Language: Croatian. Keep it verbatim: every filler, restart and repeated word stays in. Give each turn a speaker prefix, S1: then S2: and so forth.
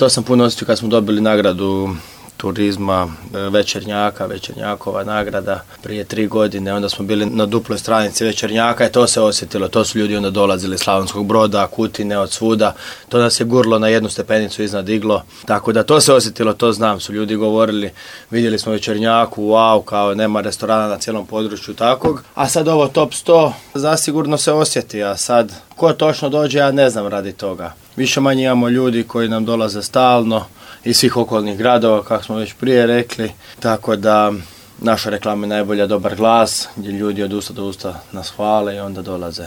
S1: to sam puno osjetio kad smo dobili nagradu turizma, Večernjaka, Večernjakova nagrada prije tri godine, onda smo bili na duploj stranici Večernjaka i to se osjetilo, to su ljudi onda dolazili iz Slavonskog Broda, Kutine, od svuda, to nas je gurlo na jednu stepenicu iznad iglo, tako da to se osjetilo, to znam, su ljudi govorili, vidjeli smo Večernjaku, wow, kao nema restorana na cijelom području takvog, a sad ovo top sto zasigurno se osjeti, a sad ko točno dođe, ja ne znam radi toga. Više manje imamo ljudi koji nam dolaze stalno iz svih okolnih gradova, kako smo već prije rekli, tako da naša reklama je najbolja dobar glas, gdje ljudi od usta do usta nas hvale i onda dolaze.